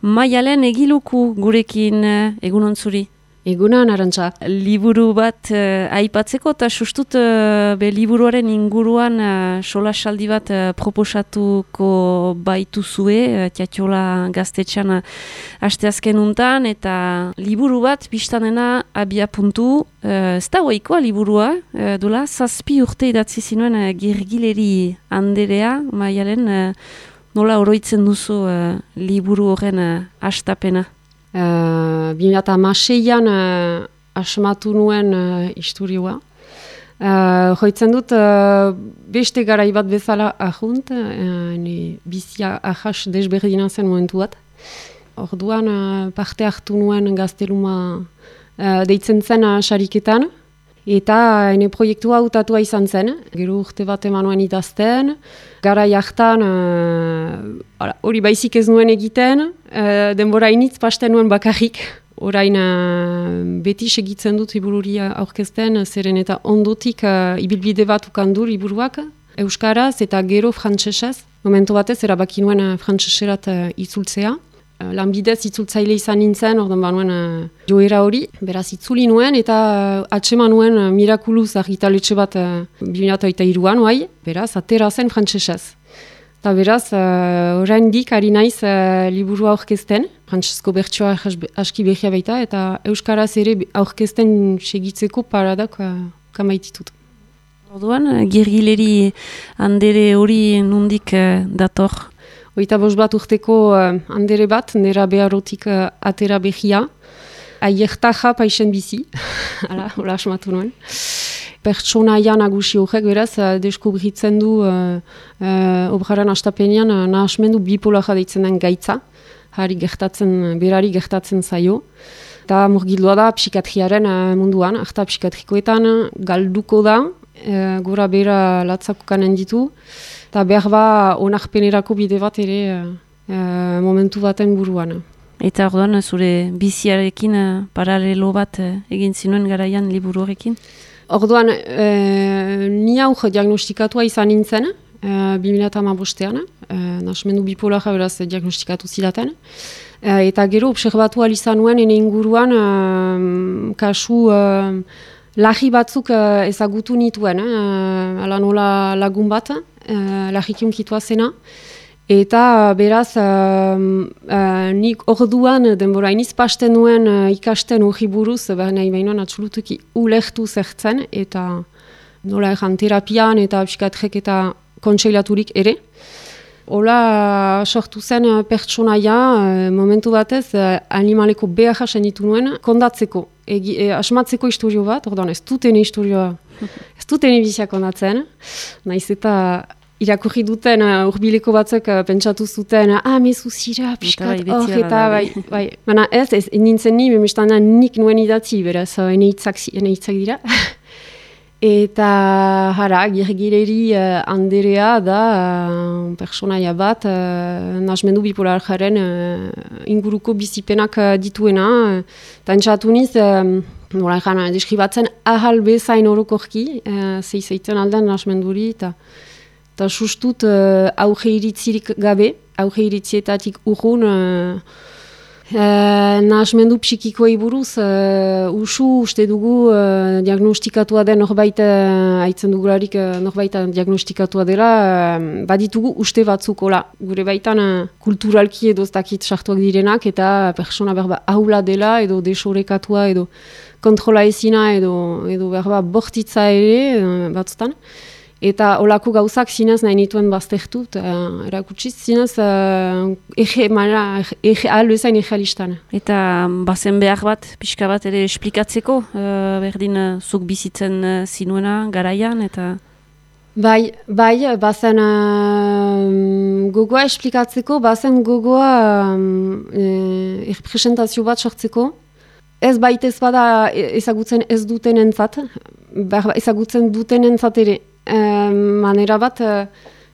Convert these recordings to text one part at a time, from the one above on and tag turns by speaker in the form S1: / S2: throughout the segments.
S1: Maialen Egiluku gurekin egunon zuri.
S2: Egunon, Arantxa.
S1: Liburu bat aipatzeko eta sustut liburuaren inguruan solasaldi bat proposatuko baituzue Tiatxola gaztetxan asteazken untan, eta liburu bat biztanena abia puntu, ez da oikoa liburua, dola 7 urte idatzi zinuen Girgileri Anderea, Maialen, nola oroitzen duzu liburu horren hastapena?
S2: 2016an asmatu nuen istorioa. Joitzen dut beste garai bat bezala ahunt, bizia ahas desberdina zen momentu bat. Orduan parte hartu nuen gazteluma deitzen zen sariketan, eta ene proiektua hautatua izan zen. Gero urte bat eman nuen idazten, garai hartan hori baizik ez nuen egiten, denbora initz pasten nuen bakarrik. Orain beti segitzen dut libururi aurkezten, zeren eta ondotik ibilbide bat ukandu liburuak, euskaraz eta gero frantsesez. Momentu batez erabaki nuen frantseserat itzultzea. Lanbidez itzultzaile izan nintzen, ordan banuen joera hori, beraz itzuli nuen eta atseman nuen mirakuluz argitaletxe bat 2023an, beraz atera zen frantsesez. Eta beraz, oraindik ari naiz liburua aurkezten, frantsesko bertsoa aski behia baita, eta euskaraz ere aurkezten segitzeko paradak kamaititut.
S1: Orduan, Girgileri Andere hori nondik dator?
S2: 25 bat urteko andere bat, nera beharotik atera behia, aiertaja paixen bizi, hola asmatu nuen. Pertsonaia nagusi horrek beraz, deskubritzen du obraren astapenean nahasmendu bipolarra deitzen den gaitza, berari gertatzen zaio. Eta murgildua da psikatriaren munduan, arta psikatrikoetan galduko da, gora bera latzakokanen ditu, eta behar ba onarpenerako bide bat ere momentu baten buruan.
S1: Eta orduan zure biziarekin paralelo bat egin zinuen garaian liburu horrekin?
S2: Orduan, ni hau diagnostikatua izan nintzen, 2015an, nahasmendu bipolarra beraz diagnostikatu zidaten. Eta gero obserbatu izan nuen ene inguruan kasu lahi batzuk ezagutu nituen, ala nola lagun bat, lahikiunkitua zena. Eta beraz, nik orduan denbora iniz pasten nuen ikasten hori buruz, nahi behinuan atxulutuki ulertu zertzen, eta nola egan terapian eta psikatrek eta kontseilaturik ere. Hola sortu zen pertsonaia, momentu batez, animaleko behar ditu nuen, kondatzeko, asmatzeko historio bat, orduan ez dutene historioa, ez dutene bizia kondatzen, nahiz eta irakurri duten urbileko batzuk pentsatu zuten, mezu zira, piskat, eta bai. Baina ez nintzen ni, memestana nik nuen idatzi, beraz, ene hitzak dira. Eta jara, Girgileri Anderea da pertsonaia bat, nahasmendu bipolarjaren inguruko bizipenak dituena. Eta entzatu niz, nola egan, deskribatzen ahal bezain orokorki, zeizeiten aldan nahasmenduri, eta sustut auge iritzirik gabe, auge iritzietatik urrun, nahasmendu psikikoei buruz, uste dugu diagnostikatua den norbait, haitzen dugularik norbait diagnostikatua dela, baditugu uste batzuk, gure baitan kulturalki edo ez dakit sartuak direnak, eta persona berba haula dela, edo desorekatua, edo kontrola ezina, edo berba bortitza ere batzutan. Eta olako gauzak zinez nahi nituen baztertu, erakutsiz zinez albezain egealistan.
S1: Eta bazen behar bat, pixka bat ere esplikatzeko, berdin zuk bizitzen zinuena garaian, eta...
S2: Bai, bazen gogoa esplikatzeko, bazen gogoa erpresentazio bat sortzeko. Ez baitez bada ezagutzen ez duten entzat, ezagutzen duten entzat ere. Manera bat,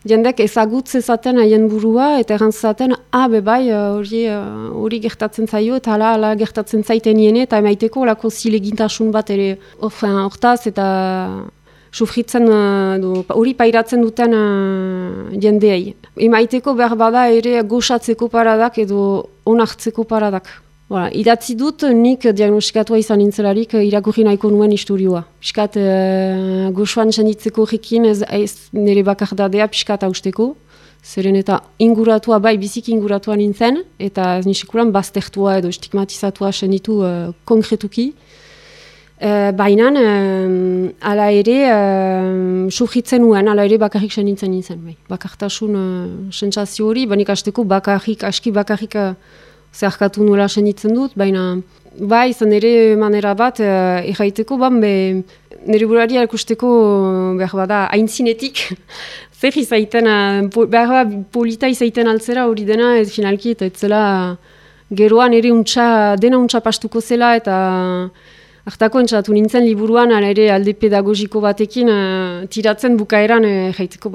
S2: jendek ezagutze zaten haien burua, eta erantzaten, hori gertatzen zaio, eta hala gertatzen zaiten niene, eta emaiteko olako zilegintasun bat ere hortaz, eta sufritzen, hori pairatzen duten jendeei. Emaiteko behar bada ere goxatzeko paradak edo onartzeko paradak. Voilà, idatzi dut nik diagnostikatua izan nintzelarik irakurri nahiko nuen istorioa. Piskat goxoan senditzeko horrekin ez nire bakardadea piskat hausteko. Zeren eta inguratua, bai biziki inguratua nintzen, eta ez nisekuran baztertua edo stigmatizatua senditu konkretuki. Baina, ala ere, sufritzen nuen, ala ere bakarrik senditzen nintzen. Bai. Bakartasun sentsazio hori, baina ikasteko aski bakarrik zeharkatu nuela senditzen dut, baina bai izan ere manera bat erraiteko, nire burari erakusteko behar bada aintzinetik, zer izaiten, behar polita izaiten altzera hori dena ez finalki, eta ez zela geroan ere dena untxa pastuko zela, eta hartako entzatu nintzen liburuan, ala ere alde pedagogiko batekin tiratzen bukaeran jaiteko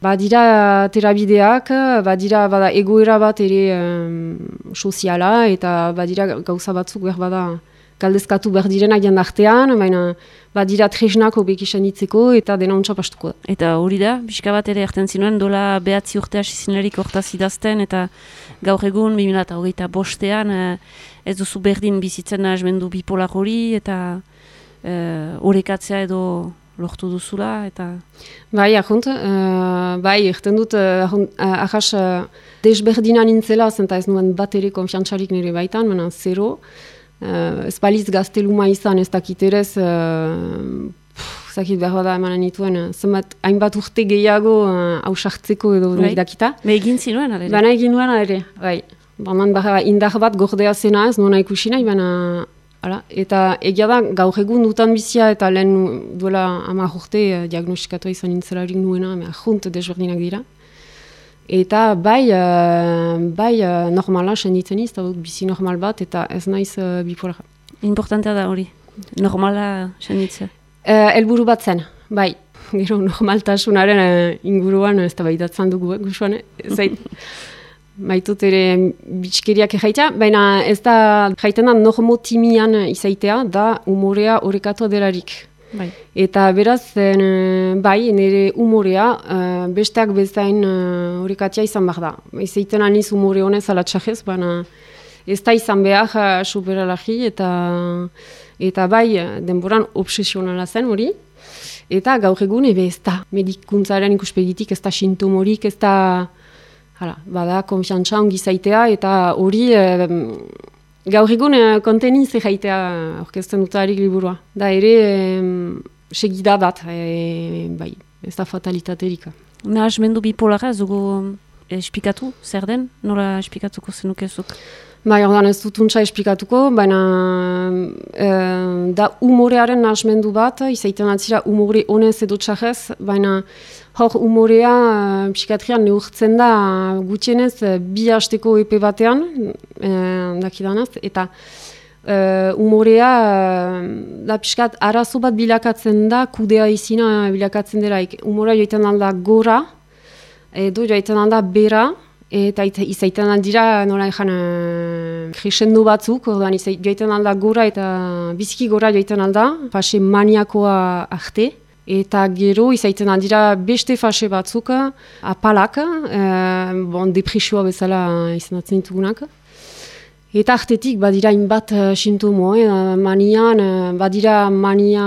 S2: badira terabideak, bada egoera bat ere soziala, eta badira gauza batzuk behar bada galdezkatu behar direnak jandartean, baina badira tresnak hobek izan ditzeko eta dena untsa pastuko da.
S1: Eta hori da, pixka bat ere erten zinuen, dola 9 urte hasi zinerik hortaz idazten, eta gaur egun 2025 ez duzu berdin bizitzen nahasmendu bipolar hori, eta orekatzea edo lortu duzula, eta...
S2: Bai, ahont, bai, erten dut, ahas desberdina nintzela, zenta ez nuen bat ere konfiantzarik nire baitan, baina zero. Ez baliz gazteluma izan, ez dakiterez, zakit behar bada emanen nituen, zenbat hainbat urte gehiago hausartzeko edo dakita.
S1: Egin zinuen, alere?
S2: Baina egin nuen, alere, bai. Baina indar bat gordea zena ez, nona ikusi nahi, baina... Hala, eta egia da, gaur egun dutan bizia eta lehen duela 10 urte diagnostikatua izan nintzelarik nuena, junt desberdinak dira. Eta bai normala senditzen iz, eta bizi normal bat, eta ez naiz bipolara.
S1: Importantea da hori, normala senditzea.
S2: Helburu bat zen, bai. Gero normaltasunaren inguruan ez da baitatzen dugu, gusuan, zait. Maitut ere bitxkeriak jaita, baina ez da jaiten da normotimian izaitea, da umorea orekatua delarik.
S1: Bai.
S2: Eta beraz, bai, nire umorea besteak bezain orekatia izan behar da. Izaiten aniz umore honez alatxajez, baina ez da izan behar superalagi eta bai denboran obsesionala zen hori. Eta gaur egun ez da medikuntzaren ikuspegitik, ez da sintomorik, ez da... Hala, bada, konfiantza ongi zaitea, eta hori gaur egun konteniz jaitea orkesten dutarik liburua. Da ere segida bat, bai, ez da fatalitaterik.
S1: Nahasmendu bipolara ez dugu esplikatu, zer den? Nola esplikatuko zenukezuk?
S2: Bai, ordan ez dut untsa esplikatuko, baina da umorearen nahasmendu bat, izaiten atzira umore honez edo txarrez, baina hor umorea psikiatrian neurtzen da gutxienez 2 hasteko epe batean, dakidanaz, eta umorea da pixkat arazo bat bilakatzen da, kudea izina bilakatzen delaik. Umorea joiten alda gora, edo joiten alda bera, eta izaiten aldira nola ezan crescendo batzuk, ordan joiten alda gora eta biziki gora joiten alda, fase maniakoa arte. Eta gero izaiten aldira beste fase batzuk, apalak, depresioa bezala izenatzen ditugunak. Eta artetik badira inbat sintomo, manian, badira mania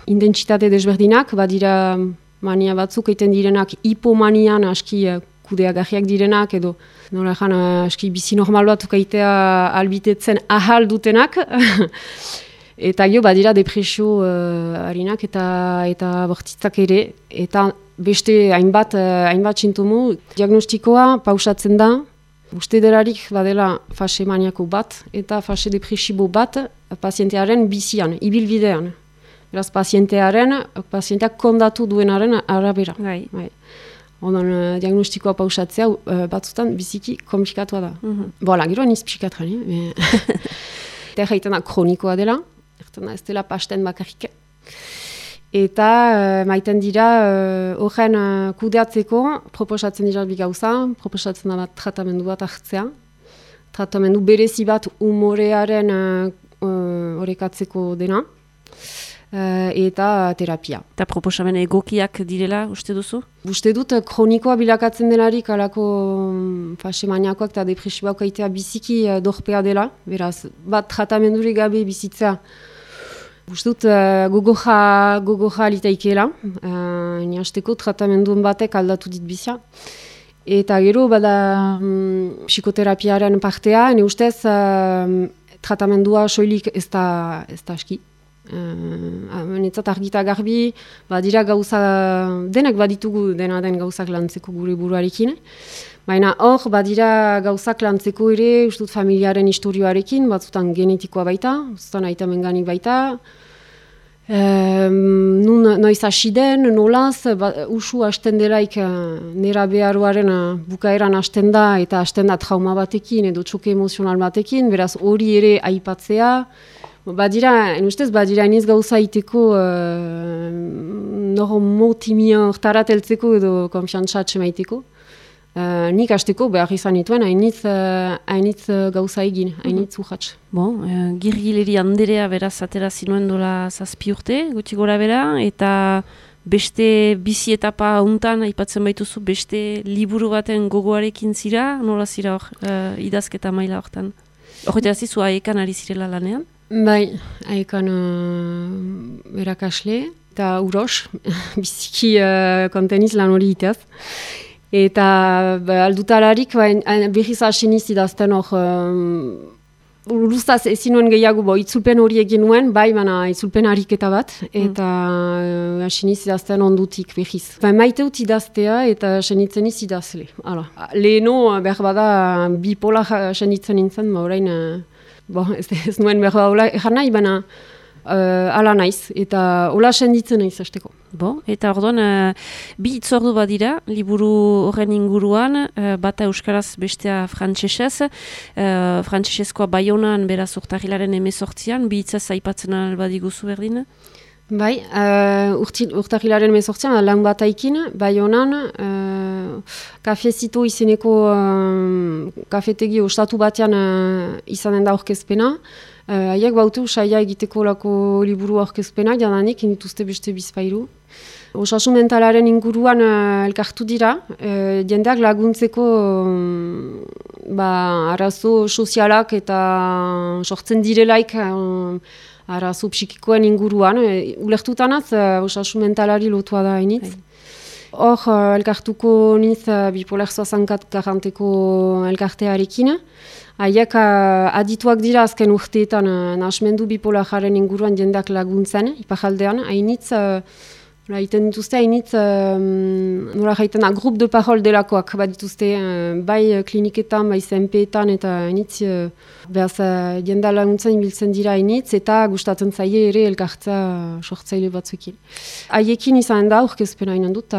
S2: intentsitate desberdinak, badira mania batzuk egiten direnak hipomanian aski kudeagarriak direnak, edo nola ezan aski bizi normal batuk egitea albitetzen ahal dutenak. Eta gero badira depresio harinak eta bortitzak ere, eta beste hainbat sintomo. Diagnostikoa pausatzen da, uste delarik badela fase maniako bat eta fase depresibo bat pazientearen bizian, ibilbidean. Beraz, pazienteak kondatu duenaren arabera.
S1: Bai.
S2: Ondan diagnostikoa pausatzea batzutan biziki komplikatua da. Bola, gero aniz psikatran, eta jaiten da kronikoa dela, ez dela pasten bakarrik. Eta maiten dira horren kudeatzeko proposatzen dira bi gauza, proposatzen da bat tratamendu bat hartzea. Tratamendu berezi bat umorearen orekatzeko dena. eta terapia.
S1: Eta proposamen egokiak direla, uste duzu?
S2: Uste dut, kronikoa bilakatzen delarik alako fase maniakoak eta depresiboak aitea biziki dorpea dela, beraz, bat tratamendurik gabe bizitza. Uste dut, gogoja alitaikela, niasteko tratamenduen batek aldatu dit bizia. Eta gero, bada psikoterapiaren partea, ne ustez, tratamendua soilik ez da aski. Netzat argita garbi, badira gauza, denak baditugu dena den gauzak lantzeko gure buruarekin. Baina hor, badira gauzak lantzeko ere, ustut familiaren historioarekin, batzutan genetikoa baita, batzutan aitamengani baita. Noiz hasi den, nolaz, usu hasten delaik nera beharoaren bukaeran hasten da, eta hasten da trauma batekin edo txoke emozional batekin, beraz hori ere aipatzea. Badira, ustez, badira iniz gauza iteko motimia hortarat eltzeko edo konfiantzatxe maiteko. Nik hasteko behar izan dituen hainitz gauza egin, hainitz urratx.
S1: Girgileri Anderea beraz atera zinuen dola 7 urte, gutxi gora bera, eta beste bizi etapa untan, aipatzen baituzu, beste liburu baten gogoarekin zira, nola zira hor, idazketa maila hortan? Horretara zizu aekan ari zirela lanean?
S2: Bai, aekan erakasle eta uros, biziki konteniz lan hori itaz. Eta aldutalarik behiz asiniz idazten hor, luztaz ezin nuen gehiago, itzulpen hori egin nuen, bai, baina itzulpen ariketa bat, eta asiniz idazten ondutik behiz. Maiteut idaztea eta senitzen iz idazle. Leheno, behar bada, bipola senitzen nintzen, orain, ez nuen behar bada, egan nahi, baina ala naiz, eta hola senditzen naiz hasteko.
S1: Eta orduan, bi itzordu badira, liburu horren inguruan, bata euskaraz bestea frantsesez, frantsesezkoa Baionan beraz urtarrilaren 18an, bi hitzaz aipatzen albadiguzu berdin?
S2: Bai, urtarrilaren 18an, lan bat aikin, Baionan, kafezito izeneko kafetegi ostatu batean izanen da aurkezpena. Haiek baute usaia egiteko lako liburu aurkezpena, jadanik, indituzte beste bizpairu. Osasun mentalaren inguruan elkartu dira, jendeak laguntzeko arazo sozialak eta sortzen direlaik arazo psikikoen inguruan. Ulertutanaz, osasun mentalari lotua da hainitz. Hor, elkartuko niz bipolar 64-40ko elkartearekin. Haiek adituak dira azken urteetan nahasmendu bipolararen inguruan jendeak laguntzen, ipajaldean. Hainitz, iten dituzte, hainitz, nola jaiten, grup de parol delakoak bat dituzte, bai kliniketan, bai zenpeetan, eta hainitz, behaz jendea laguntzen biltzen dira hainitz, eta gustatzen zaie ere elkartza sortzaile batzuekin. Haiekin izan da, aurkezpena hainen dut,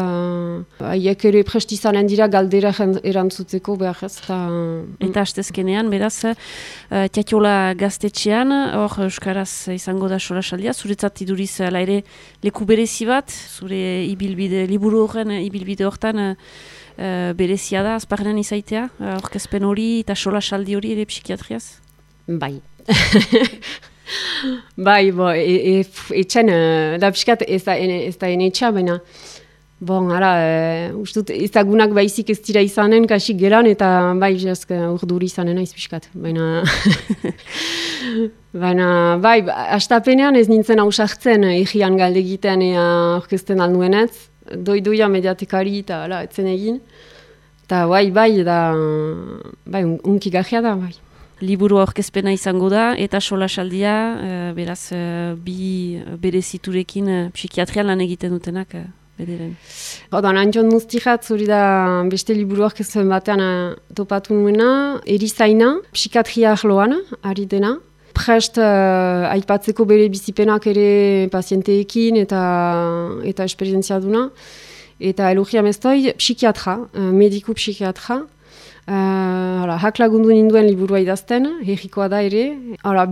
S2: haiek ere prest izanen dira galdera erantzutzeko behar ez.
S1: Eta hastezkenean, beraz, Tiatiola gaztetxean, hor euskaraz izango da solasaldia, zuretzat iduriz ala ere leku berezi bat, zure ibilbide, liburu horren ibilbide hortan berezia da, azparrenan izaitea, aurkezpen hori eta solasaldi hori ere psikiatriaz?
S2: Bai. Bai, etxen, da psikat ez da enetxa, baina ustut ezagunak baizik ez dira izanen, kasik gelan, eta bai, urduri izanen aiz pixkat, baina bai, astapenean ez nintzen hausartzen egian galde egiten aurkezten alduenez, doidoia mediatekari eta etzen egin, eta bai, unki gajea da, bai.
S1: Liburu aurkezpena izango da, eta solasaldia, beraz, bi bereziturekin psikiatrian lan egiten dutenak, bederen.
S2: Antxon Muztijat, zuri da beste liburu aurkezpen batean topatu nuena, erizaina, psikiatria arloan, ari dena. Prest aipatzeko bere bizipenak ere pazienteekin eta esperientzia duna. Eta elogia meztoi, psikiatra, mediku psikiatra. Hak lagundu ninduen liburua idazten, herrikoa da ere.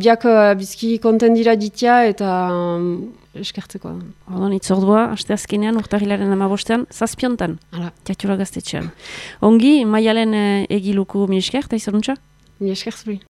S2: Biak bizki konten dira ditia eta eskertzeko.
S1: Itzordua, asteazkenean, urtarrilaren 15an, 7 Tiatiola gaztetxean. Ongi, Maialen egiluku mi esker, eta izanuntza?
S2: Mi esker zuri.